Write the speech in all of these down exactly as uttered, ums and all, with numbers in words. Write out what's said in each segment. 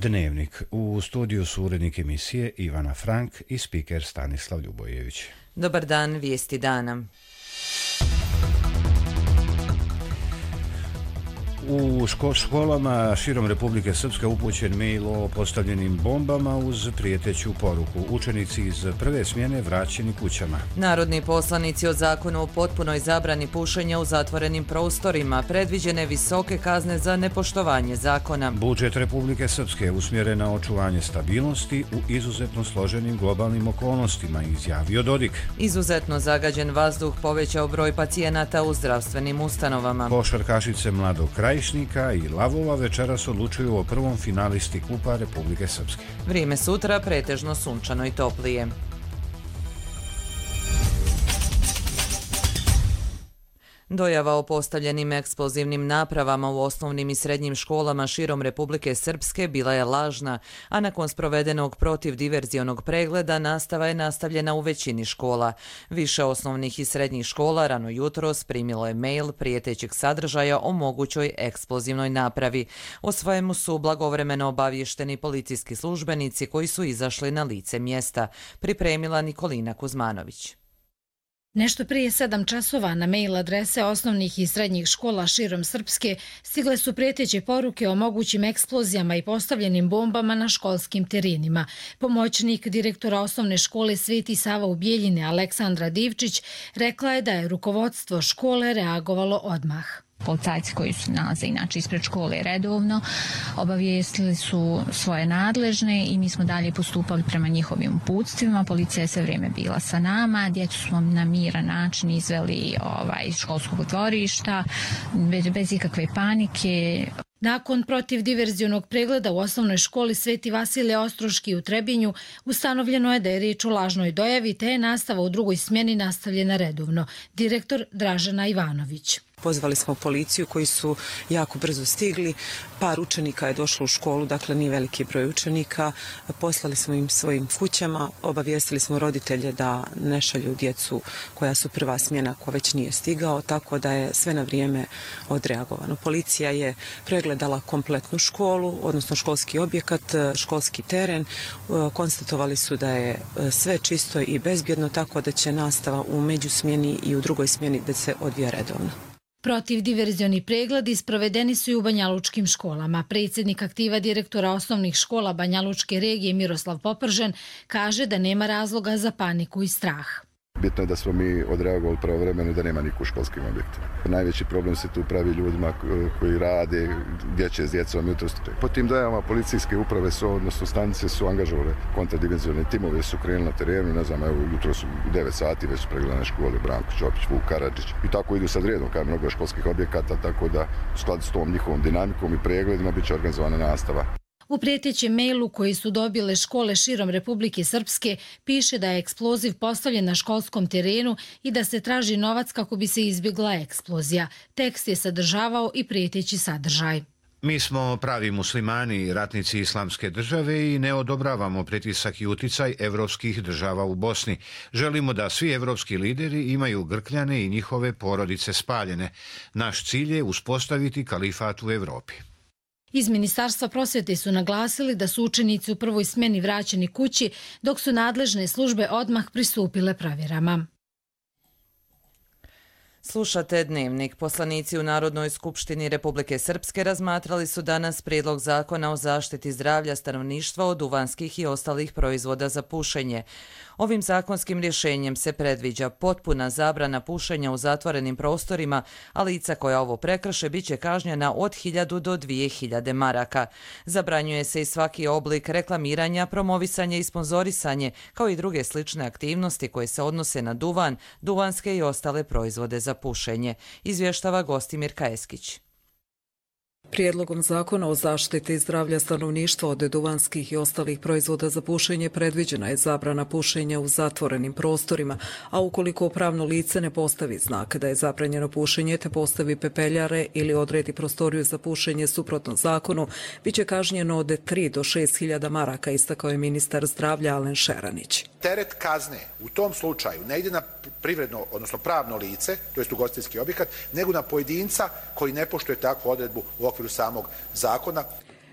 Dnevnik. U studiju su urednik emisije Ivana Frank i spiker Stanislav Ljubojević. Dobar dan, vijesti dana. U školama širom Republike Srpske upućen mail o postavljenim bombama uz prijeteću poruku. Učenici iz prve smjene vraćeni kućama. Narodni poslanici o zakonu o potpunoj zabrani pušenja u zatvorenim prostorima, predviđene visoke kazne za nepoštovanje zakona. Budžet Republike Srpske usmjeren na očuvanje stabilnosti u izuzetno složenim globalnim okolnostima, izjavio Dodik. Izuzetno zagađen vazduh povećao broj pacijenata u zdravstvenim ustanovama. Košarkašice Mladog Krajišnika i Lavova večeras odlučuju o prvom finalisti Kupa Republike Srpske. Vrijeme sutra pretežno sunčano i toplije. Dojava o postavljenim eksplozivnim napravama u osnovnim i srednjim školama širom Republike Srpske bila je lažna, a nakon sprovedenog protivdiverzionog pregleda nastava je nastavljena u većini škola. Više osnovnih i srednjih škola rano jutros primilo je mail prijetećeg sadržaja o mogućoj eksplozivnoj napravi. O svojemu su blagovremeno obavješteni policijski službenici koji su izašli na lice mjesta, pripremila Nikolina Kuzmanović. Nešto prije sedam časova na mail adrese osnovnih i srednjih škola širom Srpske stigle su prijeteće poruke o mogućim eksplozijama i postavljenim bombama na školskim terenima. Pomoćnik direktora osnovne škole Sveti Sava u Bijeljine Aleksandra Divčić rekla je da je rukovodstvo škole reagovalo odmah. Policajci koji su nalaze inače ispred škole redovno obavijestili su svoje nadležne i mi smo dalje postupali prema njihovim uputstvima. Policija je sve vrijeme bila sa nama, djecu smo na miran način izveli ovaj, iz školskog dvorišta bez, bez ikakve panike. Nakon protivdiverzionog pregleda u osnovnoj školi Sveti Vasilije Ostroški u Trebinju ustanovljeno je da je riječ o lažnoj dojavi te je nastava u drugoj smjeni nastavljena redovno. Direktor Dražena Ivanović. Pozvali smo policiju koji su jako brzo stigli. Par učenika je došlo u školu, dakle nije veliki broj učenika. Poslali smo im svojim kućama, obavijestili smo roditelje da ne šalju djecu koja su prva smjena ko već nije stigao, tako da je sve na vrijeme odreagovano. Policija je pregledala kompletnu školu, odnosno školski objekat, školski teren. Konstatovali su da je sve čisto i bezbjedno, tako da će nastava u međusmjeni i u drugoj smjeni da se odvija redovno. Protivdiverzioni pregledi sprovedeni su i u banjalučkim školama. Predsjednik aktiva direktora osnovnih škola Banjalučke regije Miroslav Popržen kaže da nema razloga za paniku i strah. Bitno je da smo mi odreagovali pravovremeno da nema niko u školskim objektima. Najveći problem se tu pravi ljudima koji rade, dječe s djecom jutros. Po tim dojavama policijske uprave su, odnosno stanice su angažovale kontradimenzionalne timove, su krenuli na terenu, ne znam, evo jutros u devet sati već su pregledane škole Branko Čopić, Vuk Karadžić i tako idu sad redom kao mnogo školskih objekata, tako da u skladu s tom njihovom dinamikom i pregledima bit će organizovana nastava. U prijetećem mailu koji su dobile škole širom Republike Srpske piše da je eksploziv postavljen na školskom terenu i da se traži novac kako bi se izbjegla eksplozija. Tekst je sadržavao i prijeteći sadržaj. Mi smo pravi muslimani, ratnici islamske države i ne odobravamo pritisak i uticaj evropskih država u Bosni. Želimo da svi evropski lideri imaju grkljane i njihove porodice spaljene. Naš cilj je uspostaviti kalifat u Evropi. Iz Ministarstva prosvjete su naglasili da su učenici u prvoj smjeni vraćeni kući, dok su nadležne službe odmah pristupile provjerama. Slušate Dnevnik. Poslanici u Narodnoj skupštini Republike Srpske razmatrali su danas prijedlog zakona o zaštiti zdravlja stanovništva od duvanskih i ostalih proizvoda za pušenje. Ovim zakonskim rješenjem se predviđa potpuna zabrana pušenja u zatvorenim prostorima, a lica koja ovo prekrše bit će kažnjena od hiljadu do dvije hiljade maraka. Zabranjuje se i svaki oblik reklamiranja, promovisanje i sponzorisanje, kao i druge slične aktivnosti koje se odnose na duvan, duvanske i ostale proizvode za pušenje, izvještava Gostimir Kajeskić. Prijedlogom zakona o zaštiti zdravlja stanovništva od duvanskih i ostalih proizvoda za pušenje predviđena je zabrana pušenja u zatvorenim prostorima, a ukoliko pravno lice ne postavi znak da je zabranjeno pušenje te postavi pepeljare ili odredi prostoriju za pušenje suprotno zakonu, bit će kažnjeno od tri do šest hiljada maraka, istakao je ministar zdravlja Alen Šeranić. Teret kazne u tom slučaju ne ide na privredno, odnosno pravno lice, to jest ugostiteljski objekat, nego na pojedinca koji ne poštuje takvu odredbu u okviru samog zakona.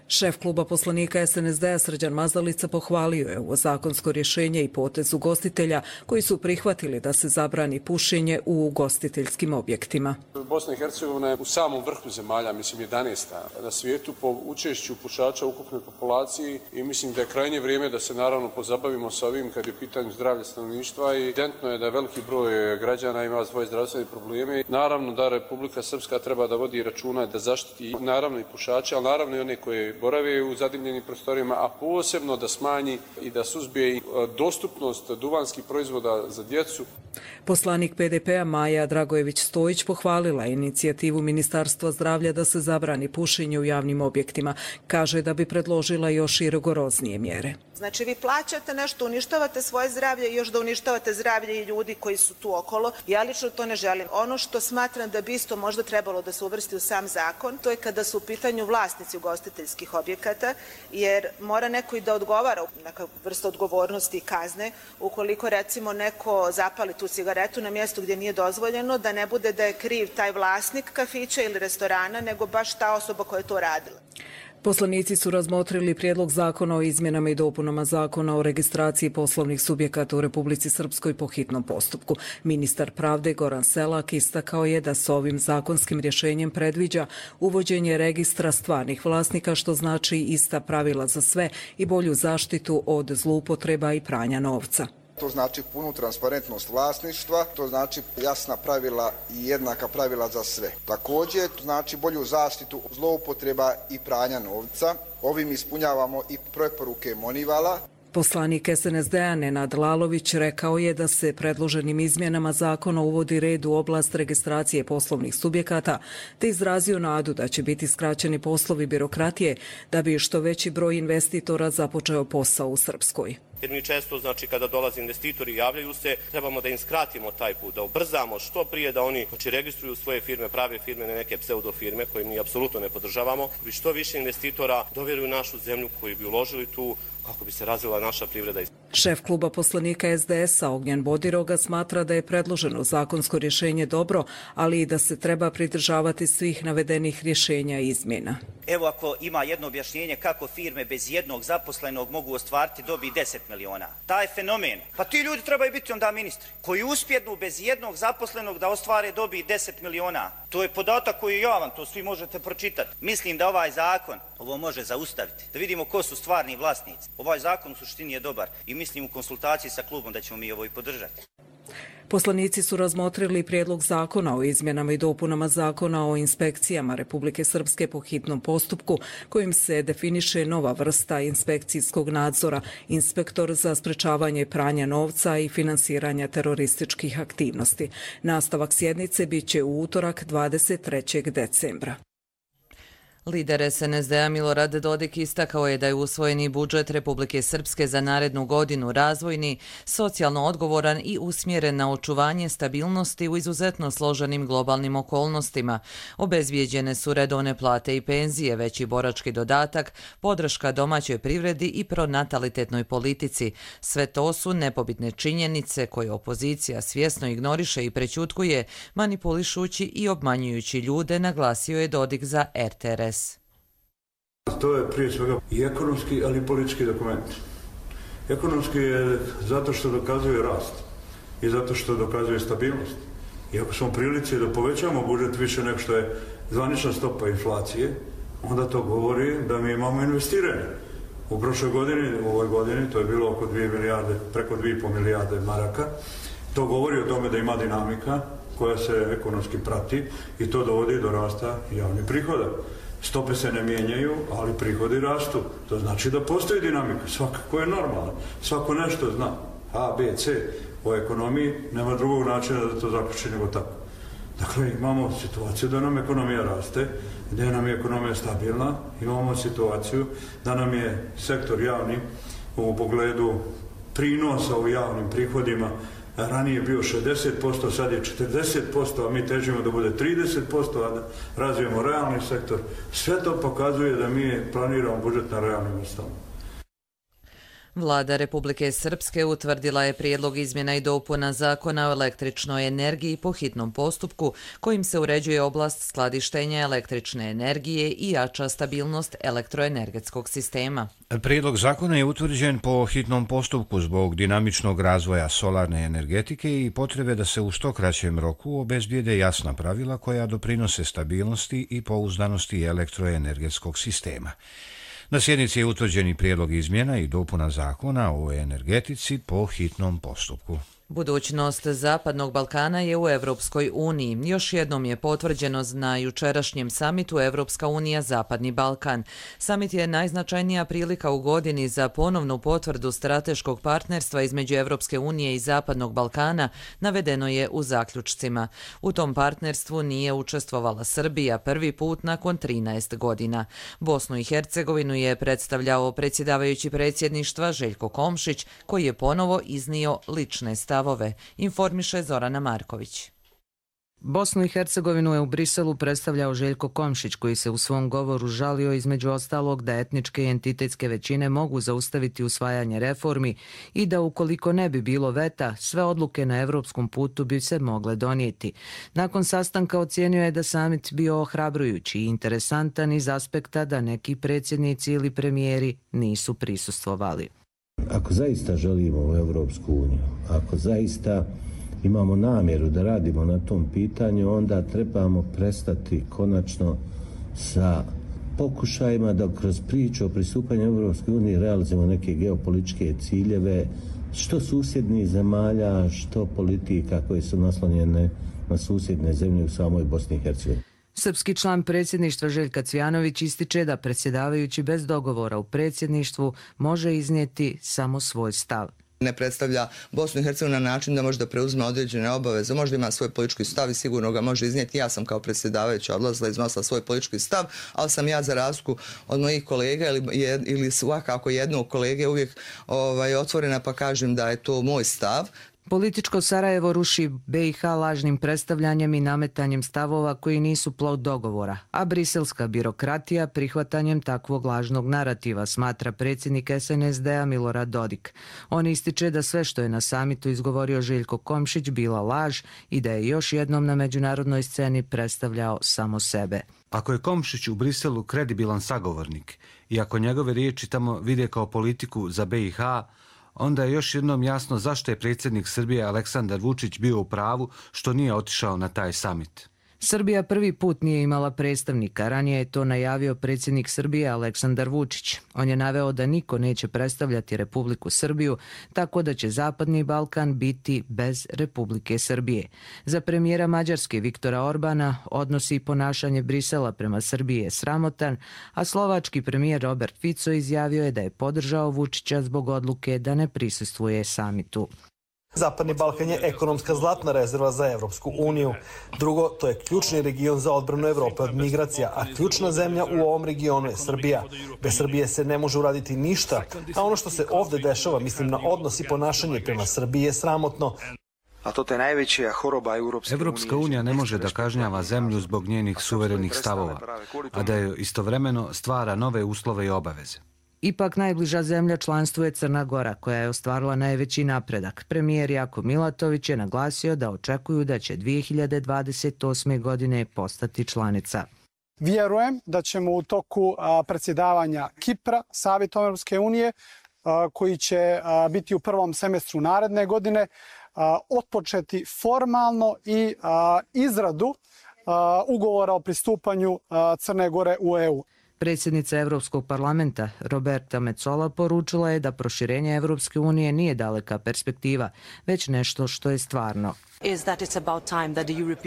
Šef kluba poslanika es en es de a Srđan Mazalica pohvalio je ovo zakonsko rješenje i potez ugostitelja koji su prihvatili da se zabrani pušenje u ugostiteljskim objektima. Bosna i Hercegovina je u samom vrhu zemalja, mislim jedanaesta na svijetu po učešću pušača u ukupnoj populaciji i mislim da je krajnje vrijeme da se naravno pozabavimo sa ovim kad je u pitanju zdravlja stanovništva i evidentno je da veliki broj građana ima svoje zdravstvene probleme. Naravno da Republika Srpska treba da vodi računa da zaštiti naravno i pušače, ali naravno i one koje borave u zadimljenim prostorijama, a posebno da smanji i da suzbije dostupnost duvanskih proizvoda za djecu. Poslanik pe de pe-a Maja Dragojević-Stojić pohvalila inicijativu Ministarstva zdravlja da se zabrani pušenje u javnim objektima. Kaže da bi predložila još i rigoroznije mjere. Znači vi plaćate nešto, uništavate svoje zdravlje i još da uništavate zdravlje i ljudi koji su tu okolo. Ja lično to ne želim. Ono što smatram da bi isto možda trebalo da se uvrsti u sam zakon, to je kada su u pitanju vlasnici ugostiteljskih objekata, jer mora neko i da odgovara, neka vrsta odgovornosti i kazne, ukoliko recimo neko zapali tu cigaretu na mjestu gdje nije dozvoljeno, da ne bude da je kriv taj vlasnik kafića ili restorana, nego baš ta osoba koja je to radila. Poslanici su razmotrili prijedlog zakona o izmjenama i dopunama zakona o registraciji poslovnih subjekata u Republici Srpskoj po hitnom postupku. Ministar pravde Goran Selak istakao je da se ovim zakonskim rješenjem predviđa uvođenje registra stvarnih vlasnika, što znači ista pravila za sve i bolju zaštitu od zloupotreba i pranja novca. To znači punu transparentnost vlasništva, to znači jasna pravila i jednaka pravila za sve. Također, to znači bolju zaštitu zloupotreba i pranja novca. Ovim ispunjavamo i preporuke Monivala. Poslanik es en es de a Nenad Lalović rekao je da se predloženim izmjenama zakona uvodi red u oblast registracije poslovnih subjekata, te izrazio nadu da će biti skraćeni poslovi birokratije da bi što veći broj investitora započeo posao u Srpskoj. Jer mi često, znači, kada dolaze investitori i javljaju se, trebamo da im skratimo taj put, da ubrzamo što prije da oni znači, registruju svoje firme, prave firme, ne neke pseudofirme koje mi apsolutno ne podržavamo, bi što više investitora dovjeruju našu zemlju koji bi uložili tu kako bi se razvila naša privreda. Šef kluba poslanika es de es a Ognjen Bodiroga smatra da je predloženo zakonsko rješenje dobro, ali i da se treba pridržavati svih navedenih rješenja i izmjena. Evo ako ima jedno objašnjenje kako firme bez jednog zaposlenog mogu ostvariti dobi deset miliona. Taj fenomen, pa ti ljudi trebaju biti onda ministri, koji uspjednu bez jednog zaposlenog da ostvare dobi deset miliona. To je podatak koji je javan, to svi možete pročitati. Mislim da ovaj zakon ovo može zaustaviti, da vidimo ko su stvarni vlasnici. Ovaj zakon u suštini je dobar i mislim u konsultaciji sa klubom da ćemo mi ovo i podržati. Poslanici su razmotrili prijedlog zakona o izmjenama i dopunama zakona o inspekcijama Republike Srpske po hitnom postupku, kojim se definiše nova vrsta inspekcijskog nadzora, inspektor za sprečavanje pranja novca i finansiranja terorističkih aktivnosti. Nastavak sjednice biće u utorak dvadeset trećeg decembra. Lider es en es de a Milorad Dodik istakao je da je usvojeni budžet Republike Srpske za narednu godinu razvojni, socijalno odgovoran i usmjeren na očuvanje stabilnosti u izuzetno složenim globalnim okolnostima. Obezbijeđene su redovne plate i penzije, veći borački dodatak, podrška domaćoj privredi i pronatalitetnoj politici. Sve to su nepobitne činjenice koje opozicija svjesno ignoriše i prećutkuje, manipulišući i obmanjujući ljude, naglasio je Dodik za er te er es. To je prije svega i ekonomski, ali i politički dokument. Ekonomski je zato što dokazuje rast i zato što dokazuje stabilnost. I ako smo prilici da povećamo budžet više nego što je zvanična stopa inflacije, onda to govori da mi imamo investiranje. U prošloj godini, u ovoj godini, to je bilo oko dvije milijarde, preko dvije i pol milijarde maraka. To govori o tome da ima dinamika koja se ekonomski prati i to dovodi do rasta javnih prihoda. Stope se ne mijenjaju, ali prihodi rastu. To znači da postoji dinamika. Svakako je normalno. Svako nešto zna. A, B, C. O ekonomiji nema drugog načina da to zaključi nego tako. Dakle, imamo situaciju da nam ekonomija raste, da nam je ekonomija stabilna. Imamo situaciju da nam je sektor javni u pogledu prinosa u javnim prihodima ranije bio šezdeset posto, sad je četrdeset posto, a mi težimo da bude trideset posto, a da razvijemo realni sektor. Sve to pokazuje da mi planiramo budžet na realnim osnovama. Vlada Republike Srpske utvrdila je prijedlog izmjena i dopuna Zakona o električnoj energiji po hitnom postupku kojim se uređuje oblast skladištenja električne energije i jača stabilnost elektroenergetskog sistema. Prijedlog zakona je utvrđen po hitnom postupku zbog dinamičnog razvoja solarne energetike i potrebe da se u što kraćem roku obezbijede jasna pravila koja doprinose stabilnosti i pouzdanosti elektroenergetskog sistema. Na sjednici je utvrđen i prijedlog izmjena i dopuna zakona o energetici po hitnom postupku. Budućnost Zapadnog Balkana je u Evropskoj uniji. Još jednom je potvrđeno na jučerašnjem samitu Evropska unija Zapadni Balkan. Samit je najznačajnija prilika u godini za ponovnu potvrdu strateškog partnerstva između Evropske unije i Zapadnog Balkana, navedeno je u zaključcima. U tom partnerstvu nije učestvovala Srbija prvi put nakon trinaest godina. Bosnu i Hercegovinu je predstavljao predsjedavajući predsjedništva Željko Komšić, koji je ponovo iznio lične stavove. Stavove, informiše Zorana Marković. Bosnu i Hercegovinu je u Briselu predstavljao Željko Komšić, koji se u svom govoru žalio između ostalog da etničke i entitetske većine mogu zaustaviti usvajanje reformi i da ukoliko ne bi bilo veta, sve odluke na evropskom putu bi se mogle donijeti. Nakon sastanka ocijenio je da samit bio ohrabrujući i interesantan iz aspekta da neki predsjednici ili premijeri nisu prisustvovali. Ako zaista želimo u Evropsku uniju, ako zaista imamo namjeru da radimo na tom pitanju, onda trebamo prestati konačno sa pokušajima da kroz priču o pristupanju Evropskoj uniji realizujemo neke geopolitičke ciljeve, što susjednih zemalja, što politika koje su naslonjene na susjedne zemlje u samoj Bosni i Hercegovini. Srpski član predsjedništva Željka Cvijanović ističe da predsjedavajući bez dogovora u predsjedništvu može iznijeti samo svoj stav. Ne predstavlja Bosnu i Hercegovinu na način da može da preuzme određene obaveze, možda ima svoj politički stav i sigurno ga može iznijeti. Ja sam kao predsjedavajuća odlazila, iznosila svoj politički stav, ali sam ja za razliku od mojih kolega ili, ili svakako jednog kolege uvijek ovaj, otvorena pa kažem da je to moj stav. Političko Sarajevo ruši B i H lažnim predstavljanjem i nametanjem stavova koji nisu plod dogovora, a briselska birokratija prihvatanjem takvog lažnog narativa, smatra predsjednik S N S D-a Milorad Dodik. On ističe da sve što je na samitu izgovorio Željko Komšić bila laž i da je još jednom na međunarodnoj sceni predstavljao samo sebe. Ako je Komšić u Briselu kredibilan sagovornik i ako njegove riječi tamo vide kao politiku za B i H, onda je još jednom jasno zašto je predsjednik Srbije Aleksandar Vučić bio u pravu što nije otišao na taj samit. Srbija prvi put nije imala predstavnika, ranije je to najavio predsjednik Srbije Aleksandar Vučić. On je naveo da niko neće predstavljati Republiku Srbiju, tako da će Zapadni Balkan biti bez Republike Srbije. Za premijera Mađarske Viktora Orbana odnosi i ponašanje Brisela prema Srbiji je sramotan, a slovački premijer Robert Fico izjavio je da je podržao Vučića zbog odluke da ne prisustvuje samitu. Zapadni Balkan je ekonomska zlatna rezerva za Evropsku uniju. Drugo, to je ključni region za odbranu Evrope od migracija, a ključna zemlja u ovom regionu je Srbija. Bez Srbije se ne može uraditi ništa, a ono što se ovdje dešava, mislim na odnos i ponašanje prema Srbiji, je sramotno. A to je najveća horoba Evropske unije. Evropska unija ne može da kažnjava zemlju zbog njenih suverenih stavova, a da je istovremeno stvara nove uslove i obaveze. Ipak najbliža zemlja članstvu je Crna Gora, koja je ostvarila najveći napredak. Premijer Jako Milatović je naglasio da očekuju da će dvije hiljade dvadeset osme. godine postati članica. Vjerujem da ćemo u toku predsjedavanja Kipra, Savjetom Evropske unije, koji će biti u prvom semestru naredne godine, otpočeti formalno i izradu ugovora o pristupanju Crne Gore u E U. Predsjednica Evropskog parlamenta Roberta Metsola poručila je da proširenje Evropske unije nije daleka perspektiva, već nešto što je stvarno.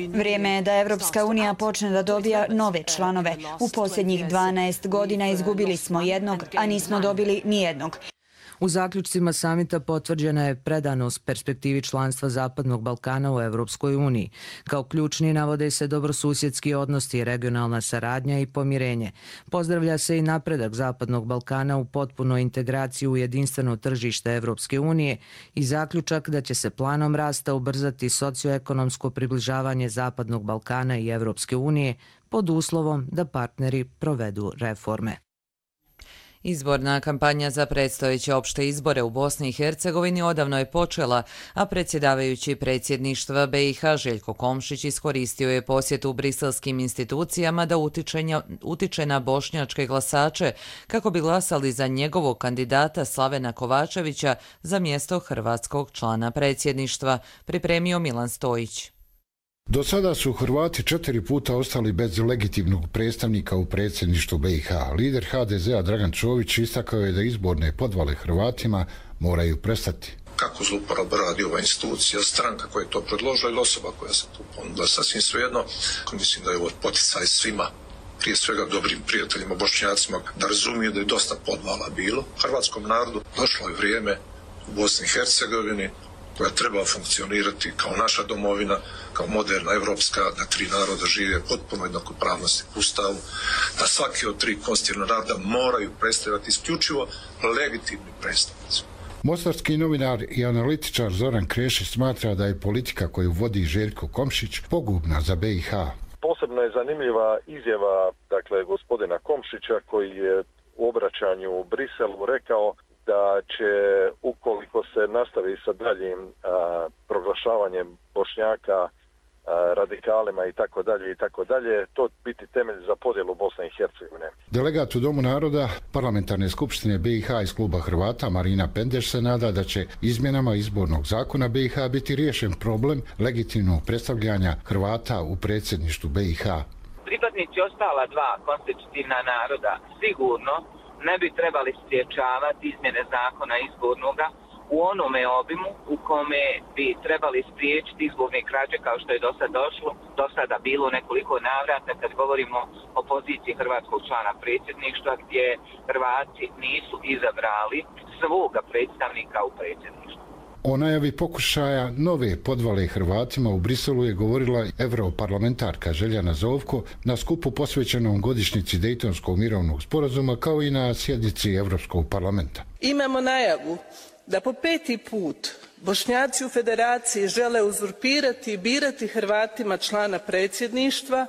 Vrijeme je da Evropska unija počne da dobija nove članove. U posljednjih dvanaest godina izgubili smo jednog, a nismo dobili nijednog. U zaključcima samita potvrđena je predanost perspektivi članstva Zapadnog Balkana u Evropskoj uniji. Kao ključni navode se dobrosusjedski odnosi, regionalna saradnja i pomirenje. Pozdravlja se i napredak Zapadnog Balkana u potpunoj integraciji u jedinstveno tržište Evropske unije i zaključak da će se planom rasta ubrzati socioekonomsko približavanje Zapadnog Balkana i Evropske unije pod uslovom da partneri provedu reforme. Izborna kampanja za predstojeće opšte izbore u Bosni i Hercegovini odavno je počela, a predsjedavajući predsjedništva B i H Željko Komšić iskoristio je posjetu briselskim institucijama da utiče na bošnjačke glasače kako bi glasali za njegovog kandidata Slavena Kovačevića za mjesto hrvatskog člana predsjedništva, pripremio Milan Stojić. Do sada su Hrvati četiri puta ostali bez legitimnog predstavnika u predsjedništvu B i H. Lider H D Z-a Dragan Čović istakao je da izborne podvale Hrvatima moraju prestati. Kako zlouporabu radi ova institucija, stranka koja je to predložila ili osoba koja se tu ponudila, sasvim svejedno. Mislim da je ovo poticaj svima, prije svega dobrim prijateljima, bošnjacima, da razumiju da je dosta podvala bilo. Hrvatskom narodu došlo je vrijeme u Bosni i Hercegovini koja treba funkcionirati kao naša domovina, kao moderna evropska, da tri naroda žive potpuno jednakopravnosti u Ustavu, da svaki od tri konstitutivna naroda moraju predstavljati isključivo legitimni predstavnici. Mostarski novinar i analitičar Zoran Krešić smatra da je politika koju vodi Željko Komšić pogubna za B i H. Posebno je zanimljiva izjava dakle, gospodina Komšića koji je u obraćanju u Briselu rekao da će, ukoliko se nastavi sa daljim a, proglašavanjem Bošnjaka a, radikalima i tako dalje i tako dalje, to biti temelj za podjelu Bosne i Hercegovine. Delegat u Domu naroda Parlamentarne skupštine B i H iz kluba Hrvata Marina Pendeš se nada da će izmjenama izbornog zakona B i H biti riješen problem legitimnog predstavljanja Hrvata u predsjedništvu B i H. Pripadnici ostala dva konstitutivna naroda sigurno ne bi trebali spriječavati izmjene zakona izbornoga u onome obimu u kome bi trebali spriječiti izborne krađe kao što je do sada došlo, do sada bilo nekoliko navrata kad govorimo o poziciji hrvatskog člana predsjedništva gdje Hrvati nisu izabrali svoga predstavnika u predsjedništvu. O najavi pokušaja nove podvale Hrvatima u Briselu je govorila europarlamentarka Željana Zovko na skupu posvećenom godišnjici Dejtonskog mirovnog sporazuma kao i na sjednici Europskog parlamenta. Imamo najavu da po peti put Bošnjaci u Federaciji žele uzurpirati i birati Hrvatima člana predsjedništva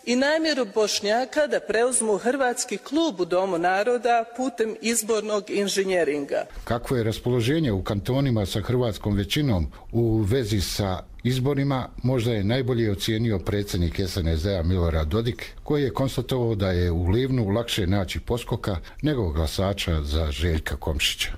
i namjeru Bošnjaka da preuzmu hrvatski klub u Domu naroda putem izbornog inženjeringa. Kakvo je raspoloženje u kantonima sa hrvatskom većinom u vezi sa izborima, možda je najbolje ocijenio predsjednik S N S D-a Milorad Dodik, koji je konstatovao da je u Livnu lakše naći poskoka nego glasača za Željka Komšića.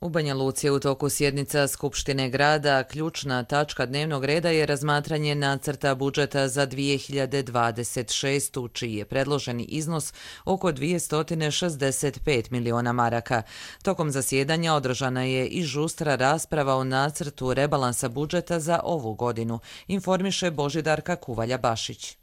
U Banja Luci je u toku sjednica Skupštine grada. Ključna tačka dnevnog reda je razmatranje nacrta budžeta za dvije hiljade dvadeset šestu, čiji je predloženi iznos oko dvjesto šezdeset pet miliona maraka. Tokom zasjedanja održana je i žustra rasprava o nacrtu rebalansa budžeta za ovu godinu, informiše Božidarka Kuvalja-Bašić.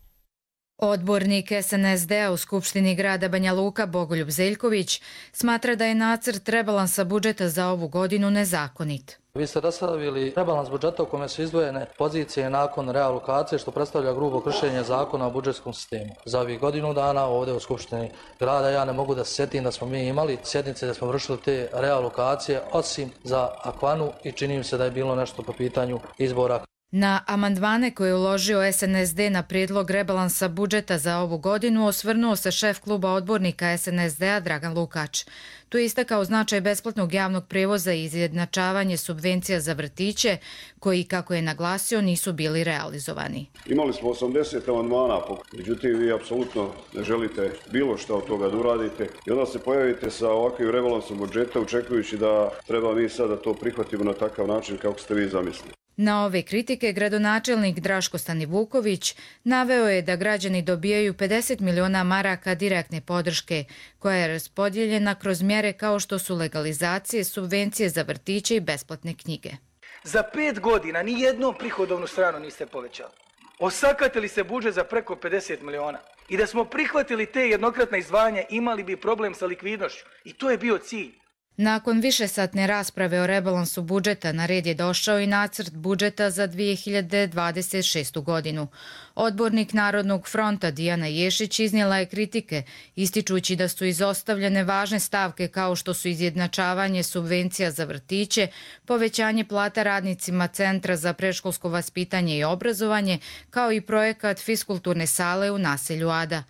Odbornik S N S D-a u Skupštini grada Banja Luka Bogoljub Zeljković smatra da je nacrt rebalansa budžeta za ovu godinu nezakonit. Vi ste raspravili rebalans budžeta u kome su izdvojene pozicije nakon realokacije, što predstavlja grubo kršenje zakona o budžetskom sistemu. Za ovih godinu dana ovdje u Skupštini grada ja ne mogu da se sjetim da smo mi imali sjednice da smo vršili te realokacije, osim za Akvanu, i čini mi se da je bilo nešto po pitanju izbora. Na amandmane koje je uložio S N S D na prijedlog rebalansa budžeta za ovu godinu osvrnuo se šef kluba odbornika S N S D-a Dragan Lukač. Tu je istakao značaj besplatnog javnog prijevoza i izjednačavanje subvencija za vrtiće, koji, kako je naglasio, nisu bili realizovani. Imali smo osamdeset amandmana, međutim vi apsolutno ne želite bilo što od toga da uradite i onda se pojavite sa ovakvim rebalansom budžeta očekujući da treba mi sada to prihvatimo na takav način kako ste vi zamislili. Na ove kritike gradonačelnik Draško Stanivuković naveo je da građani dobijaju pedeset miliona maraka direktne podrške, koja je raspodijeljena kroz mjere kao što su legalizacije, subvencije za vrtiće i besplatne knjige. Za pet godina ni jednom prihodovnu stranu niste povećali. Osakatili se budžet za preko pedeset miliona. I da smo prihvatili te jednokratne izdvajanja, imali bi problem sa likvidnošću. I to je bio cilj. Nakon višesatne rasprave o rebalansu budžeta na red je došao i nacrt budžeta za dvije hiljade dvadeset šestu godinu. Odbornik Narodnog fronta Dijana Ješić iznijela je kritike, ističući da su izostavljene važne stavke kao što su izjednačavanje subvencija za vrtiće, povećanje plata radnicima Centra za predškolsko vaspitanje i obrazovanje, kao i projekat fiskulturne sale u naselju Ada.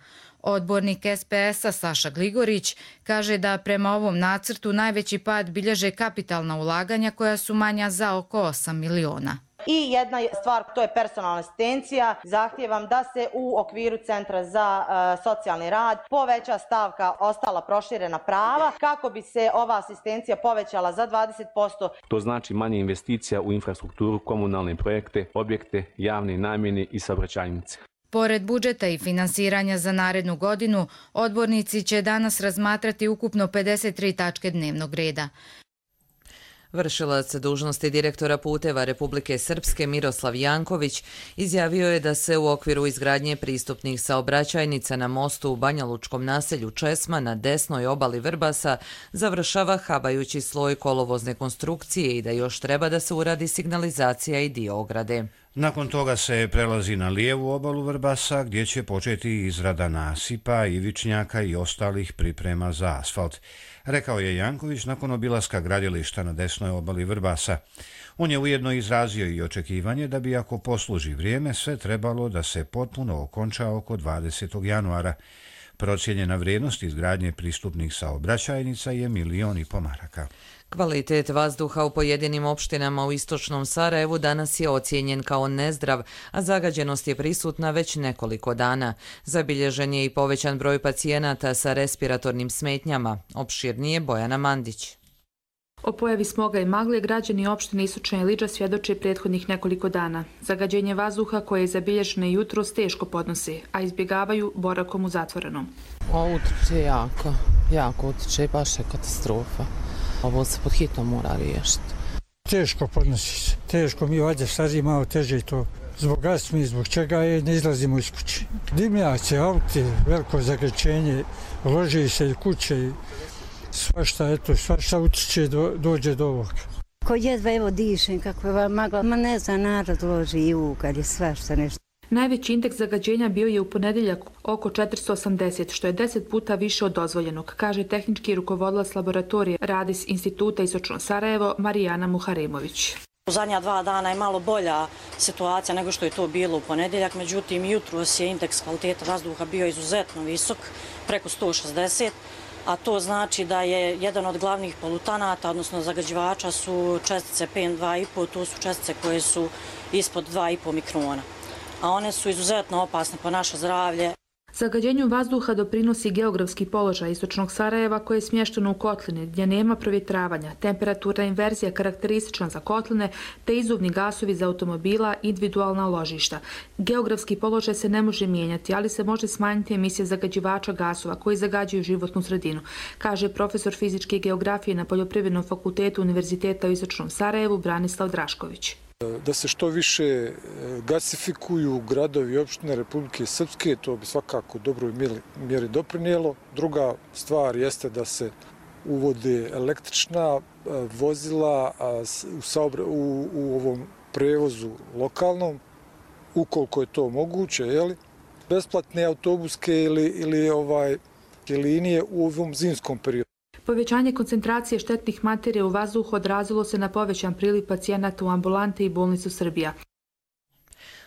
Odbornik S P S-a Saša Gligorić kaže da prema ovom nacrtu najveći pad bilježe kapitalna ulaganja koja su manja za oko osam miliona. I jedna stvar, to je personalna asistencija. Zahtijevam da se u okviru Centra za uh, socijalni rad poveća stavka ostala proširena prava kako bi se ova asistencija povećala za dvadeset posto. To znači manje investicija u infrastrukturu, komunalne projekte, objekte, javne namjene i saobraćajnice. Pored budžeta i finansiranja za narednu godinu, odbornici će danas razmatrati ukupno pedeset tri tačke dnevnog reda. Vršilac dužnosti direktora puteva Republike Srpske Miroslav Janković izjavio je da se u okviru izgradnje pristupnih saobraćajnica na mostu u banjalučkom naselju Česma na desnoj obali Vrbasa završava habajući sloj kolovozne konstrukcije i da još treba da se uradi signalizacija i dio ograde. Nakon toga se prelazi na lijevu obalu Vrbasa gdje će početi izrada nasipa, ivičnjaka i ostalih priprema za asfalt, rekao je Janković nakon obilaska gradilišta na desnoj obali Vrbasa. On je ujedno izrazio i očekivanje da bi ako posluži vrijeme sve trebalo da se potpuno okonča oko dvadesetog januara. Procijenjena vrijednost izgradnje pristupnih saobraćajnica je milion i po maraka. Kvalitet vazduha u pojedinim opštinama u istočnom Sarajevu danas je ocijenjen kao nezdrav, a zagađenost je prisutna već nekoliko dana. Zabilježen je i povećan broj pacijenata sa respiratornim smetnjama. Opširnije Bojana Mandić. O pojavi smoga i magle građani opštine Istočna Iliđa svjedoče prethodnih nekoliko dana. Zagađenje vazduha koje je zabilježeno jutros teško podnose, a izbjegavaju borakom u zatvorenom. O, utiče jako, jako utiče, baš je katastrofa. Ovo se pod hitnom mora riješiti. Teško podnosi se, teško mi vađe stariji malo teže i to. Zbog astme, zbog čega je, ne izlazimo iz kuće. Dimnjaci, auti, veliko zagađenje, loži se i kuće i svašta, eto, svašta utiče do, dođe do ovoga. Ko jedva evo dišem, kako je magla, ma ne zna, narod loži i ukad je svašta nešto. Najveći indeks zagađenja bio je u ponedjeljak oko četiristo osamdeset, što je deset puta više od dozvoljenog, kaže tehnički rukovodilac laboratorije Radis Instituta Istočno Sarajevo Marijana Muharemović. U zadnja dva dana je malo bolja situacija nego što je to bilo u ponedjeljak, međutim jutros je indeks kvaliteta vazduha bio izuzetno visok, preko sto šezdeset, a to znači da je jedan od glavnih polutanata, odnosno zagađivača, su čestice P M dva i po, to su čestice koje su ispod dva i po mikrona, a one su izuzetno opasne po naše zdravlje. Zagađenju vazduha doprinosi geografski položaj Istočnog Sarajeva koje je smješteno u kotline gdje nema provjetravanja, temperaturna inverzija karakteristična za kotline te izuvni gasovi za automobila i individualna ložišta. Geografski položaj se ne može mijenjati, ali se može smanjiti emisija zagađivača gasova koji zagađuju životnu sredinu, kaže profesor fizičke geografije na Poljoprivrednom fakultetu Univerziteta u Istočnom Sarajevu Branislav Drašković. Da se što više gasifikuju gradovi i opštine Republike Srpske, to bi svakako dobroj mjeri doprinijelo. Druga stvar jeste da se uvode električna vozila u, saobra, u, u ovom prevozu lokalnom, ukoliko je to moguće, jeli? Besplatne autobuske ili, ili ovaj, linije u ovom zimskom periodu. Povećanje koncentracije štetnih materija u vazduhu odrazilo se na povećan priliv pacijenata u ambulante i bolnicu Srbija.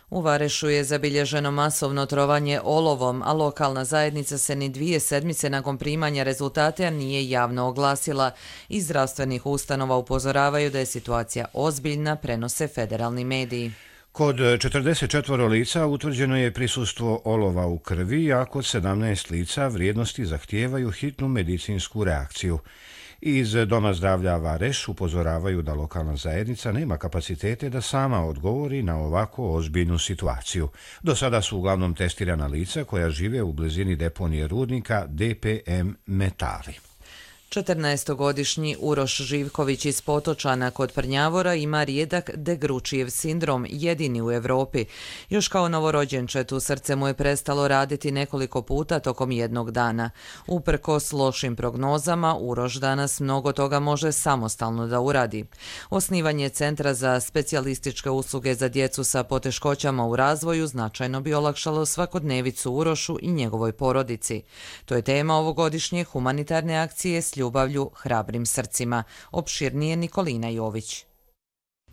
U Varešu je zabilježeno masovno trovanje olovom, a lokalna zajednica se ni dvije sedmice nakon primanja rezultate nije javno oglasila. Iz zdravstvenih ustanova upozoravaju da je situacija ozbiljna, prenose federalni mediji. Kod četrdeset četiri lica utvrđeno je prisustvo olova u krvi, a kod sedamnaest lica vrijednosti zahtijevaju hitnu medicinsku reakciju. Iz Doma zdravlja Vareš upozoravaju da lokalna zajednica nema kapacitete da sama odgovori na ovako ozbiljnu situaciju. Do sada su uglavnom testirana lica koja žive u blizini deponije rudnika D P M Metali. četrnaestogodišnji Uroš Živković iz Potočana kod Prnjavora ima rijedak Degručijev sindrom, jedini u Europi. Još kao novorođenčetu srce mu je prestalo raditi nekoliko puta tokom jednog dana. Uprkos lošim prognozama, Uroš danas mnogo toga može samostalno da uradi. Osnivanje Centra za specijalističke usluge za djecu sa poteškoćama u razvoju značajno bi olakšalo svakodnevicu Urošu i njegovoj porodici. To je tema ovogodišnje humanitarne akcije s ljubavlju hrabrim srcima. Opširnije Nikolina Jović.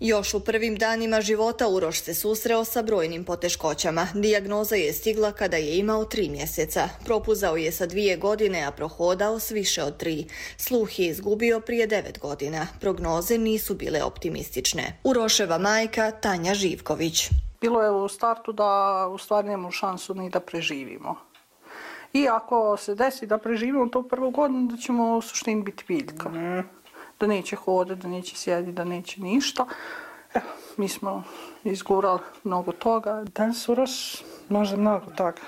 Još u prvim danima života Uroš se susreo sa brojnim poteškoćama. Dijagnoza je stigla kada je imao tri mjeseca. Propuzao je sa dvije godine, a prohodao s više od tri. Sluh je izgubio prije devet godina. Prognoze nisu bile optimistične. Uroševa majka Tanja Živković. Bilo je u startu da u stvari nemamo šansu ni da preživimo. I ako se desi da preživimo to prvu godinu, da ćemo u suštini biti biljka. Mm. Da neće hodati, da neće sjediti, da neće ništa. Evo, mi smo izgurali mnogo toga. Danas Uroš može mnogo toga.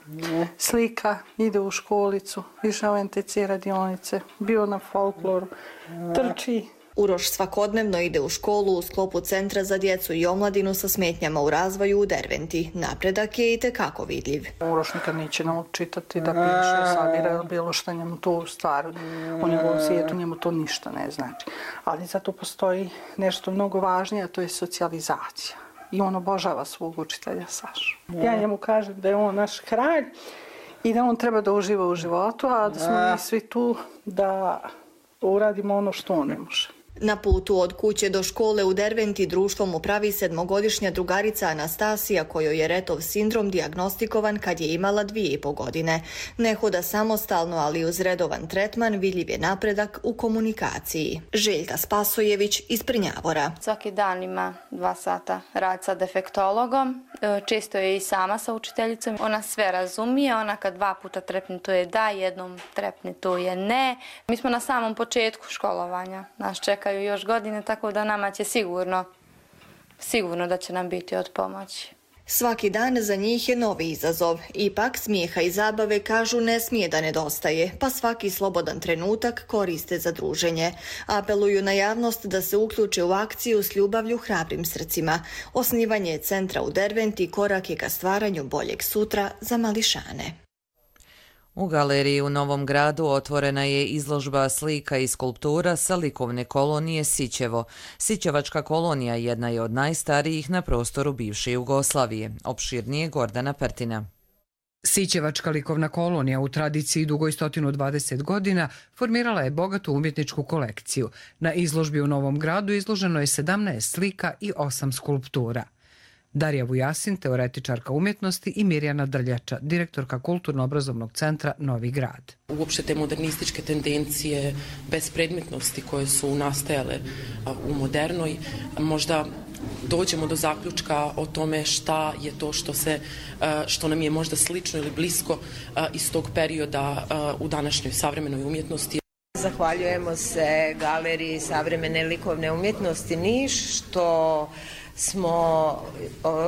Mm. Slika, ide u školicu, išao u en te ce radionice, bio na folkloru, mm. trči. Uroš svakodnevno ide u školu u sklopu Centra za djecu i omladinu sa smetnjama u razvoju u Derventi. Napredak je itekako vidljiv. Uroš nikad neće naučitati da piše, sabira ili bilo što njemu to stvar. U njegovom svijetu njemu to ništa ne znači. Ali zato postoji nešto mnogo važnije, a to je socijalizacija. I on obožava svog učitelja Sašu. Ja njemu kažem da je on naš kralj i da on treba da uživa u životu, a da smo mi svi tu da uradimo ono što on ne može. Na putu od kuće do škole u Derventi društvo mu pravi sedmogodišnja drugarica Anastasija, kojoj je Retov sindrom dijagnostikovan kad je imala dvije i po godine. Ne hoda samostalno, ali uz redovan tretman vidljiv je napredak u komunikaciji. Željka Spasojević iz Prnjavora. Svaki dan ima dva sata rad sa defektologom. Često je i sama sa učiteljicom. Ona sve razumije, ona kad dva puta trepne to je da, jednom trepne to je ne. Mi smo na samom početku školovanja. Nas čeka još godine, tako da nama će sigurno, sigurno da će nam biti od pomoći. Svaki dan za njih je novi izazov. Ipak smijeha i zabave, kažu, ne smije da nedostaje, pa svaki slobodan trenutak koriste za druženje. Apeluju na javnost da se uključe u akciju s ljubavlju hrabrim srcima. Osnivanje centra u Derventi korak je ka stvaranju boljeg sutra za mališane. U galeriji u Novom Gradu otvorena je izložba slika i skulptura sa likovne kolonije Sićevo. Sićevačka kolonija jedna je od najstarijih na prostoru bivše Jugoslavije. Opširnije Gordana Pertina. Sićevačka likovna kolonija u tradiciji dugoj sto dvadeset godina formirala je bogatu umjetničku kolekciju. Na izložbi u Novom Gradu izloženo je sedamnaest slika i osam skulptura. Darija Vujasin, teoretičarka umjetnosti, i Mirjana Drljača, direktorka Kulturno-obrazovnog centra Novi Grad. Uopšte te modernističke tendencije bespredmetnosti koje su nastajale u modernoj, možda dođemo do zaključka o tome šta je to što, se, što nam je možda slično ili blisko iz tog perioda u današnjoj savremenoj umjetnosti. Zahvaljujemo se Galeriji savremene likovne umjetnosti Niš što smo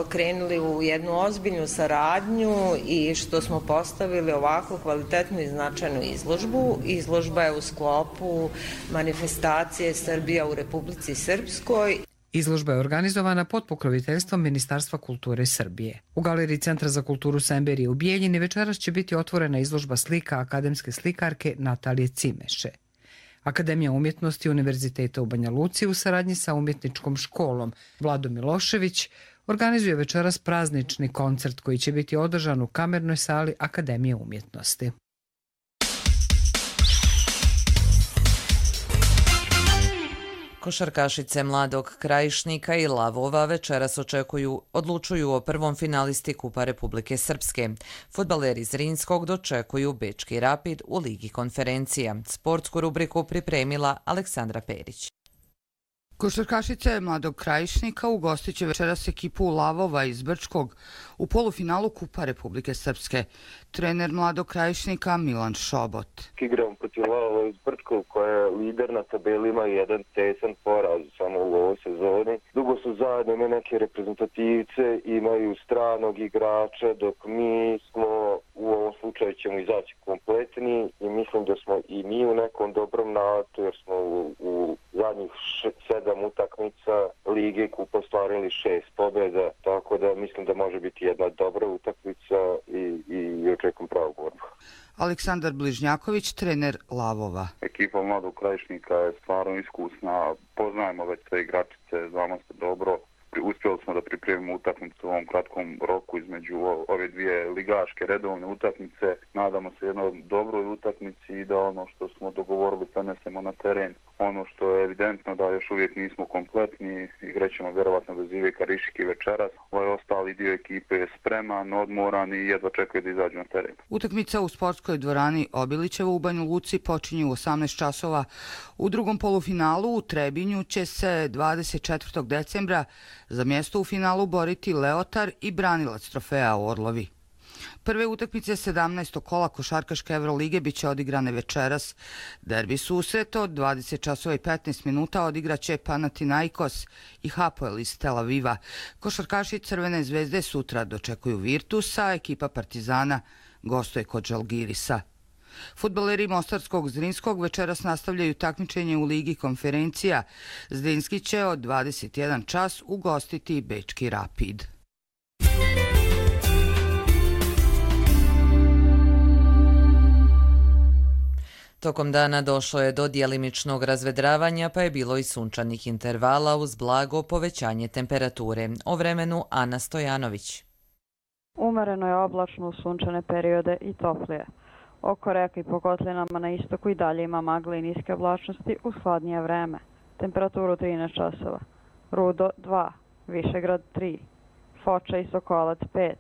krenuli u jednu ozbiljnu saradnju i što smo postavili ovako kvalitetnu i značajnu izložbu. Izložba je u sklopu manifestacije Srbija u Republici Srpskoj. Izložba je organizovana pod pokroviteljstvom Ministarstva kulture Srbije. U Galeriji Centra za kulturu Semberije u Bijeljini večeras će biti otvorena izložba slika akademske slikarke Natalije Cimeše. Akademija umjetnosti Univerziteta u Banja Luci u saradnji sa umjetničkom školom Vlado Milošević organizuje večeras praznični koncert koji će biti održan u kamernoj sali Akademije umjetnosti. Košarkašice Mladog Krajišnika i Lavova večeras očekuju, odlučuju o prvom finalisti Kupa Republike Srpske. Fudbaleri Zrinskog dočekuju Bečki Rapid u Ligi konferencija. Sportsku rubriku pripremila Aleksandra Perić. Košarkašice Mladog Krajišnika ugostit će večeras ekipu Lavova iz Brčkog u polufinalu Kupa Republike Srpske. Trener Mladog Krajišnika Milan Šobot. Igramo protiv Lavova iz Brčkog koja je lider na tabeli, ima jedan tesan poraz samo u ovoj sezoni. Dugo su zajedno, imaju neke reprezentativce, imaju stranog igrača, dok mi smo u ovom slučaju slučaju ćemo izaći kompletni i mislim da smo i mi u nekom dobrom naletu jer smo u, u zadnjih š, sedam utakmica Lige kupa ostvarili šest pobjeda, tako da mislim da može biti jedna dobra utakmica i, i, i očekujem pravu borbu. Aleksandar Bližnjaković, trener Lavova. Ekipa Mladog Krajišnika je stvarno iskusna, poznajemo već sve igračice, znamo se dobro. Uspjeli smo da pripremimo utakmicu u ovom kratkom roku između ove dvije ligaške redovne utakmice. Nadamo se jednoj dobroj utakmici i da ono što smo dogovorili prenesemo na teren. Ono što je evidentno da još uvijek nismo kompletni, igrećemo vjerovatno bez Iveka Rišike večeras. Ovaj ostali dio ekipe je spreman, odmoran i jedva čekaju da izađu na teren. Utakmica u sportskoj dvorani Obilićeva u Banja Luci počinje u osamnaest časova. U drugom polufinalu u Trebinju će se dvadeset četvrtog decembra za mjesto u finalu boriti Leotar i branilac trofeja Orlovi. Prve utakmice sedamnaestog kola košarkaške Evrolige biće odigrane večeras. Derbi susret od dvadeset časova i petnaest minuta odigraće Panathinaikos i Hapoel iz Tel Aviva. Košarkaši Crvene zvezde sutra dočekuju Virtusa, ekipa Partizana gostuje kod Žalgirisa. Fudbaleri Mostarskog Zrinskog večeras nastavljaju takmičenje u Ligi konferencija. Zrinski će od dvadeset jedan čas ugostiti Bečki Rapid. Tokom dana došlo je do djelimičnog razvedravanja, pa je bilo i sunčanih intervala uz blago povećanje temperature. O vremenu Ana Stojanović. Umereno je oblačno u sunčane periode i toplije. Oko reka i po kotlinama na istoku i dalje ima magle i niske oblačnosti uz hladnije vreme. Temperaturu trinaest časova. Rudo dva, Višegrad tri, Foča i Sokolac pet,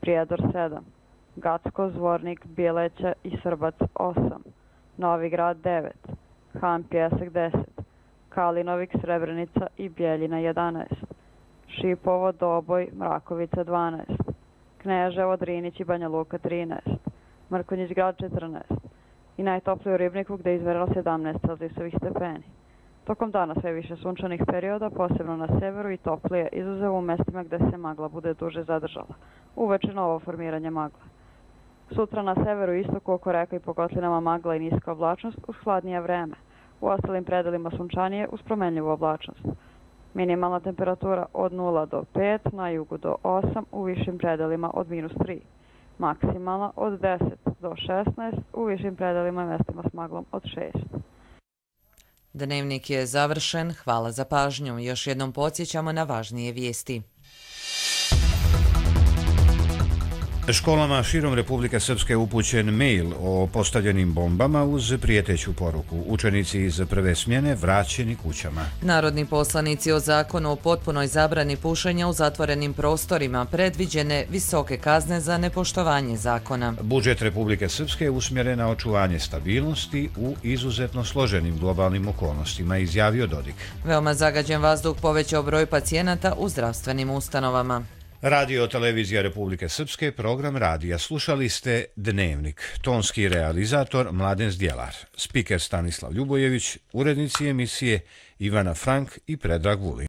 Prijedor sedam, Gacko, Zvornik, Bjeleća i Srbac osam, Novi Grad devet, Han Pjesak deset, Kalinovik, Srebrenica i Bjeljina jedanaest, Šipovo, Doboj, Mrakovica dvanaest, Kneževo, Drinić i Banja Luka trinaest, Mrkonjić Grad četrnaest i najtopliji u Ribniku gdje je izmerilo sedamnaest celzijusovih stepeni. Tokom dana sve više sunčanih perioda, posebno na severu i toplije, izuzev u mestima gdje se magla bude duže zadržala. Uveče novo formiranje magle. Sutra na severu i istoku oko reka i po kotlinama magla i niska oblačnost uz hladnije vreme. U ostalim predelima sunčanije uz promenljivu oblačnost. Minimalna temperatura od nula do pet, na jugu do osam, u višim predelima od minus tri. Maksimalna od deset do šesnaest, u višim predelima i mestima s maglom od šest. Dnevnik je završen, hvala za pažnju. Još jednom podsjećamo na važnije vijesti. Školama širom Republike Srpske upućen mail o postavljenim bombama uz prijeteću poruku. Učenici iz prve smjene vraćeni kućama. Narodni poslanici o zakonu o potpunoj zabrani pušenja u zatvorenim prostorima predviđene visoke kazne za nepoštovanje zakona. Budžet Republike Srpske je usmjeren na očuvanje stabilnosti u izuzetno složenim globalnim okolnostima, izjavio Dodik. Veoma zagađen vazduh povećao broj pacijenata u zdravstvenim ustanovama. Radio Televizija Republike Srpske, program radija. Slušali ste Dnevnik. Tonski realizator Mladen Zdjelar. Spiker Stanislav Ljubojević, urednici emisije Ivana Frank i Predrag Vulin.